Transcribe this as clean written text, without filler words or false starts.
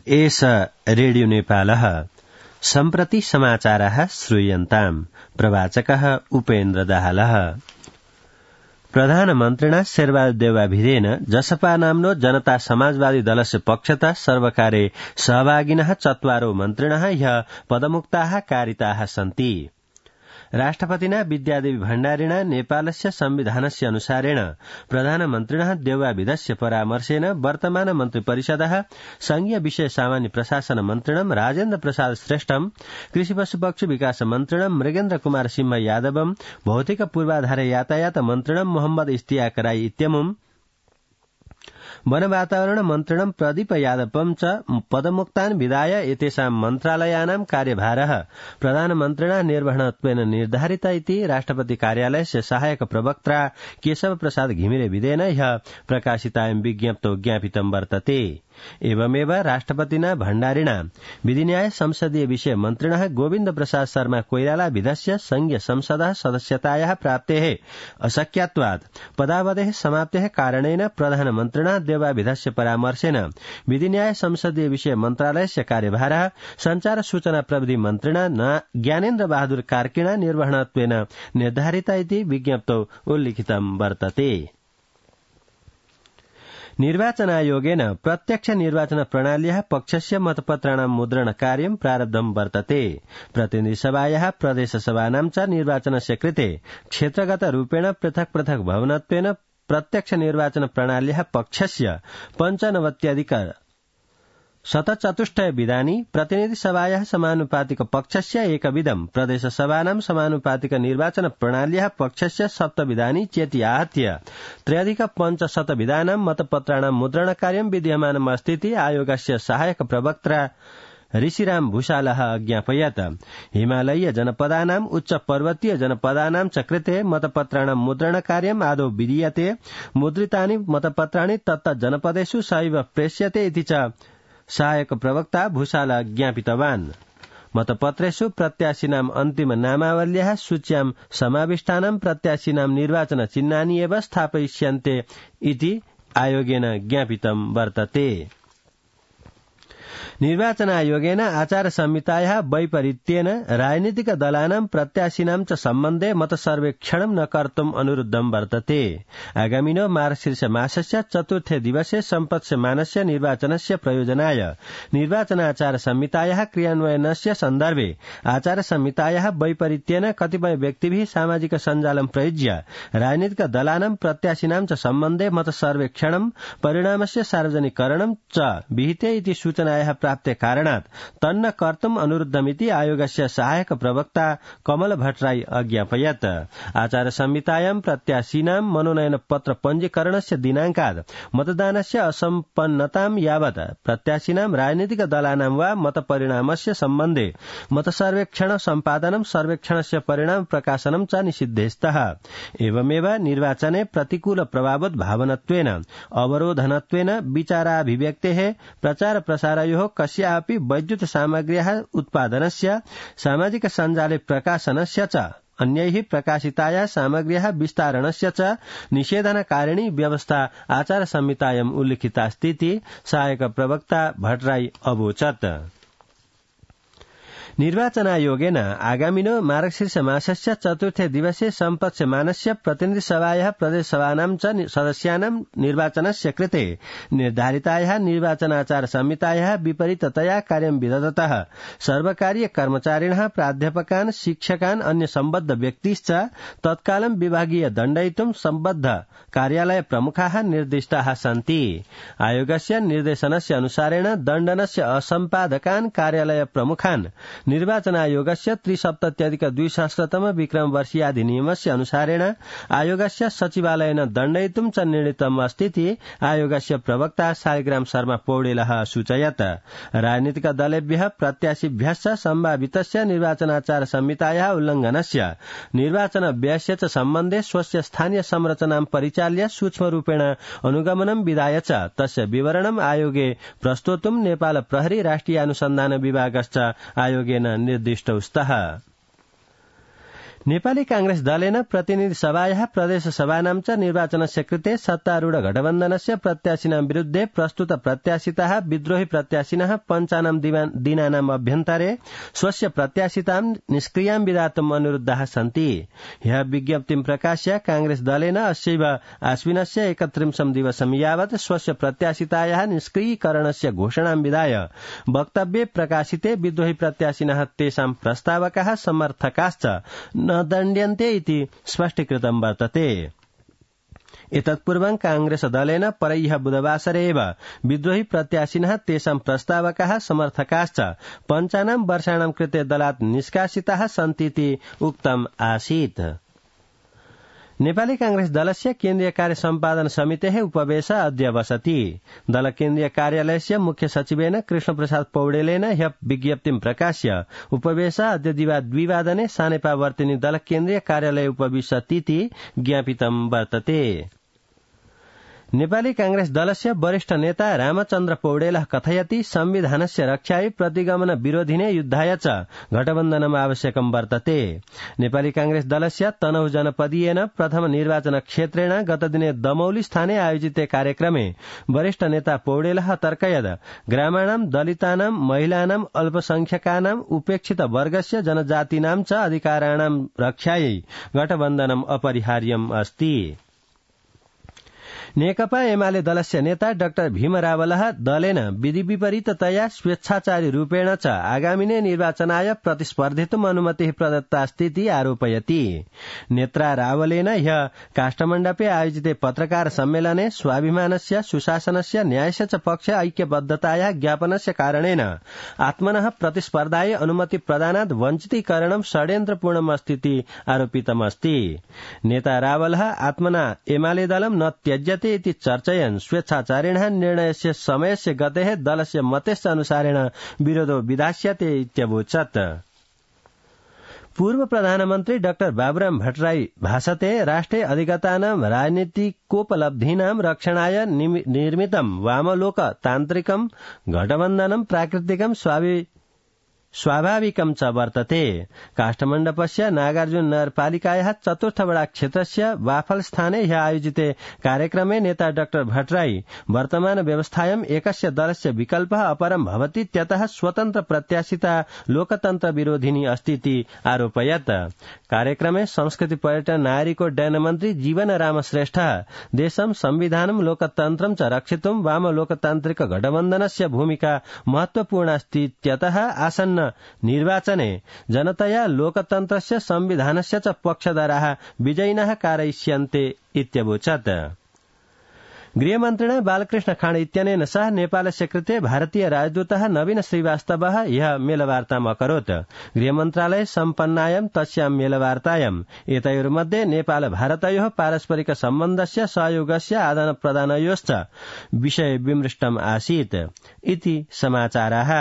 एष रेडियो नेपालः सम्प्रति समाचारः श्रूयन्ताम्। प्रवाचकः उपेन्द्र दाहालः। प्रधानमन्त्रिणा शेरबहादुर देउवाभिधेन जसपा नाम्नो जनता समाजवादी दलस्य पक्षतः सर्वकारे सहभागिनः चत्वारो मन्त्रिणः ह्यः पदमुक्ताः कारिताः सन्ति। राष्ट्रपतिना विद्यादेवी भण्डारिणा नेपालस्य संविधानस्य अनुसारेण प्रधानमन्त्रिणः देउवाभिधस्य परामर्शेन वर्तमान मन्त्रिपरिषदः संघीय विषय सामान्य प्रशासन मन्त्रिणं राजेन्द्र प्रसाद श्रेष्ठम्, कृषि पशुपक्षी विकास मन्त्रिणं मृगेन्द्र कुमार सिंह यादवम्, भौतिक पूर्वाधार यातायात मन्त्रिणं मोहम्मद इस्तियाक राई इत्यमुम्, वन वातावरण मन्त्रिणं प्रदीप यादवं च पदमुक्तान् विदाय एतेषां मन्त्रालयानां कार्यभारः प्रधानमन्त्रिणा निर्वहणत्वेन निर्धारित इति राष्ट्रपति कार्यालयस्य सहायक प्रवक्ता केशव प्रसाद घिमिरे विधेन ह्यः प्रकाशितायां विज्ञप्तौ ज्ञापितं वर्तते। एवमेव राष्ट्रपतिना भण्डारिणा विधिन्याय संसदीय विषय मन्त्रिणः गोविन्द प्रसाद शर्मा कोइराला विधस्य संघीय संसदः सदस्यतायाः प्राप्तेः अशक्यत्वात् पदावधेः समाप्तेः कारणेन प्रधानमन्त्रिणा देउवाभिधस्य परामर्शेन विधिन्याय संसदीय विषय मन्त्रालयस्य कार्यभारः संचार सूचना प्रविधि मन्त्रिणा ज्ञानेन्द्र बहादुर कार्किणा निर्वहणत्वेन निर्धारित इति विज्ञप्तौ उल्लिखितं वर्तते। निर्वाचनायोगेन प्रत्यक्ष निर्वाचन प्रणाल्याः पक्षस्य मतपत्राणां मुद्रण कार्यं प्रारब्धं वर्तते। प्रतिनिधिसभायाः प्रदेशसभानां च निर्वाचनस्य कृते क्षेत्रगत रूपेण पृथक् पृथक् भवनत्वेन प्रत्यक्ष निर्वाचन प्रणाल्याः पक्षस्य 95% विधानि, प्रतिनिधिसभायाः समानुपातिक पक्षस्य एकविधं, प्रदेशसभानां समानुपातिक निर्वाचन प्रणाल्याः पक्षस्य 7 विधानि चेति आहत्य 3+500 विधानां मतपत्राणां मुद्रणकार्यं विद्यमानम् अस्तीति आयोगस्य सहायक प्रवक्ता ऋषिराम भूषालः अज्ञापयत्। हिमालयीय जनपदानाम् उच्च पर्वतीय जनपदानां च कृते मतपत्राणां मुद्रणकार्यम् आदौ विधीयते। मुद्रितानि मतपत्राणि तत्त जनपदेषु सैव प्रेष्यते इति च सहायक प्रवक्ता भूषाल ज्ञापितवान्। मतपत्रेषु प्रत्याशिनाम् अन्तिम नामावल्याः सूच्यां समाविष्टानां प्रत्याशिनां निर्वाचन चिह्नानि एव स्थापयिष्यन्ते इति आयोगेन ज्ञापितं वर्तते। निर्वाचनायोगेन आचार संहितायाः वैपरीत्येन राजनीतिक दलानां प्रत्याशिनां च सम्बन्धे मतसर्वेक्षणं न कर्तुम् अनुरुद्धं वर्तते। आगामिनो मार्गशीर्ष मासस्य 4थे दिवसे सम्पत्स्यमानस्य निर्वाचनस्य प्रयोजनाय निर्वाचनाचार संहितायाः क्रियान्वयनस्य सन्दर्भे आचार संहितायाः वैपरीत्येन कतिपय व्यक्तिभिः सामाजिक सञ्जालं प्रयुज्य राजनीतिक दलानां प्रत्याशिनां च सम्बन्धे मतसर्वेक्षणं परिणामस्य सार्वजनिकरणं च विहिते इति सूचनायाः प्राप्ते कारणात् तन्न कर्तुम् अनुरुद्धमिति आयोगस्य सहायक प्रवक्ता कमल भट्टराई अज्ञापयत्। आचार संहितायां प्रत्याशिनां मनोनयन पत्र पञ्जीकरणस्य दिनाङ्कात् मतदानस्य असम्पन्नतां यावत् प्रत्याशिनां राजनीतिक दलानां वा मतपरिणामस्य सम्बन्धे मतसर्वेक्षण सम्पादनं सर्वेक्षणस्य परिणाम प्रकाशनं च निषिद्धेस्तः। एवमेव निर्वाचने प्रतिकूल प्रभावोद् भावनत्वेन अवरोधनत्वेन विचाराभिव्यक्तेः प्रचार प्रसारयोः कस्यापि वैद्युत सामग्र्याः उत्पादनस्य सामाजिक सञ्जाले प्रकाशनस्य च अन्यैः प्रकाशितायाः सामग्र्याः विस्तारणस्य च निषेधनकारिणी व्यवस्था आचार संहितायाम् उल्लिखितास्तीति सहायक प्रवक्ता भट्टराई अवोचत्। निर्वाचनायोगेन आगामिनो मार्गशीर्ष मासस्य 4थे दिवसे सम्पत्स्यमानस्य प्रतिनिधिसभायाः प्रदेशसभानां च सदस्यानां निर्वाचनस्य कृते निर्धारितायाः निर्वाचनाचार संहितायाः विपरीततया कार्यं विदधतः सर्वकारीय कर्मचारिणः प्राध्यापकान् शिक्षकान् अन्य सम्बद्ध व्यक्तिश्च तत्कालं विभागीय दण्डयितुं सम्बद्ध कार्यालय प्रमुखाः निर्दिष्टाः सन्ति। आयोगस्य निर्देशनस्य अनुसारेण दण्डनस्य असम्पादकान् कार्यालय प्रमुखान् निर्वाचनायोगस्य 370+200 विक्रम वर्षीयाधिनियमस्य अनुसारेण आयोगस्य सचिवालयेन दण्डयितुं च निर्णीतम् अस्तीति आयोगस्य प्रवक्ता शालिग्राम शर्मा पौडेलः सूचयत्। राजनीतिक दलेभ्यः प्रत्याशिभ्यश्च सम्भावितस्य निर्वाचनाचार संहितायाः उल्लङ्घनस्य निर्वाचन व्ययस्य च सम्बन्धे स्वस्य स्थानीय संरचनां परिचाल्य सूक्ष्मरूपेण अनुगमनं विधाय च तस्य विवरणम् आयोगे प्रस्तोतुं नेपाल प्रहरी राष्ट्रिय अनुसन्धान विभागश्च आयोगेन निर्दिष्टौ स्तः। नेपाली कांग्रेस दलेन प्रतिनिधि सभायाः प्रदेश सभानां च निर्वाचनस्य कृते सत्तारूढ गठबन्धनस्य प्रत्याशिनां विरुद्धे प्रस्तुत प्रत्याशिताः विद्रोही प्रत्याशिनः पञ्चानां दिनानाम् अभ्यन्तरे स्वस्य प्रत्याशितां निष्क्रियां विधातुम् अनुरुद्धाः सन्ति। ह्यः विज्ञप्तिं प्रकाश्य कांग्रेस दलेन अस्यैव आश्विनस्य 31 दिवसं यावत् स्वस्य प्रत्याशितायाः निष्क्रियीकरणस्य घोषणां विधाय वक्तव्ये प्रकाशिते विद्रोही प्रत्याशिनः तेषां प्रस्तावकाः समर्थकाश्च न दण्ड्यन्ते इति स्पष्टीकृतं वर्तते। एतत्पूर्वं कांग्रेस दलेन परह्यः बुधवासरे एव विद्रोही प्रत्याशिनः तेषां प्रस्तावकाः समर्थकाश्च 5 वर्षाणां कृते दलात् निष्कासिताः सन्तीति उक्तम् आसीत्। नेपाली कांग्रेस दलस्य केन्द्रीय कार्य सम्पादन समितेः उपवेश अद्य बसति। दल केन्द्रीय कार्यालयस्य मुख्य सचिवेन कृष्णप्रसाद पौडेलेन ह्यः विज्ञप्तिं प्रकाश्य उपवेश अद्य दिवा 2 वादने सानेपावर्तिनी दल केन्द्रीय कार्यालये उपविशतीति ज्ञापितं वर्तते। नेपाली कांग्रेस दलस्य वरिष्ठ नेता रामचन्द्र पौडेलः कथयति संविधानस्य रक्षायै प्रतिगमन विरोधिने युद्धाय च गठबन्धनम् आवश्यकं वर्तते। नेपाली कांग्रेस दलस्य तनहु जनपदीयेन प्रथम निर्वाचन क्षेत्रेण गतदिने दमौली स्थाने आयोजिते कार्यक्रमे वरिष्ठ नेता पौडेलः तर्कयत् ग्रामाणां दलितानां महिलानां अल्पसंख्यकानां उपेक्षित वर्गस्य जनजातीनां च अधिकाराणां रक्षायै गठबन्धनम् अपरिहार्यम् अस्ति। नेकपा एमाले दलस्य नेता डाक्टर भीम रावलः दलेन विधि विपरीततया स्वेच्छाचारी रूपेण च आगामिने निर्वाचनाय प्रतिस्पर्धितुम् अनुमतिः प्रदत्तास्तीति आरोपयति। नेत्रा रावलेन ह्यः काष्ठमण्डपे आयोजिते पत्रकार सम्मेलने स्वाभिमानस्य सुशासनस्य न्यायस्य च पक्षे ऐक्यबद्धतायाः ज्ञापनस्य कारणेन आत्मनः प्रतिस्पर्धायै अनुमति प्रदानात् वञ्चितीकरणं षड्यन्त्रपूर्णमस्तीति आरोपितमस्ति। नेता रावलः आत्मना एमाले दलं न त्यज्यते इति चर्चयन् स्वेच्छाचारिणः निर्णयस्य समयस्य गतेः दलस्य मतस्य अनुसारेण विरोधो विधास्यते इत्यवोचत्। पूर्व प्रधानमन्त्री डाक्टर बाबुराम भट्टराई भाषते राष्ट्रे अधिगतानां राजनीतिकोपलब्धीनां रक्षणाय निर्मितं वामलोकतान्त्रिकं गठबन्धनं प्राकृतिकं स्वाभाविकं च वर्तते। काष्ठमण्डपस्य नागार्जुन नगरपालिकायाः 4th वडा क्षेत्रस्य वाफल स्थाने ह्यः आयोजिते कार्यक्रमे नेता डाक्टर भट्टराई वर्तमान व्यवस्थायाम् एकस्य दलस्य विकल्पः अपरं भवति त्यतः स्वतन्त्र प्रत्याशिता लोकतन्त्र विरोधिनी अस्तीति आरोपयत्। कार्यक्रमे संस्कृति पर्यटन नागरिक उड्डयन मन्त्री जीवन राम श्रेष्ठः देशं संविधानं लोकतन्त्रं च रक्षितुं वाम लोकतान्त्रिक गठबन्धनस्य भूमिका महत्वपूर्णास्ति त्यतः आसन्न निर्वाचने जनतया लोकतन्त्रस्य संविधानस्य च पक्षधराः विजयिनः कारयिष्यन्ते इत्यवोचत्। गृहमन्त्रिणा बालकृष्ण खाँड इत्यनेन सह नेपालस्य कृते भारतीय राजदूतः नवीन श्रीवास्तवः ह्यः मेलवार्ताम् अकरोत्। गृहमन्त्रालये सम्पन्नायां तस्यां मेलवार्तायाम् एतयोर्मध्ये नेपाल भारतयोः पारस्परिक सम्बन्धस्य सहयोगस्य आदानप्रदानयोश्च विषये विमृष्टम् आसीत् इति समाचाराः।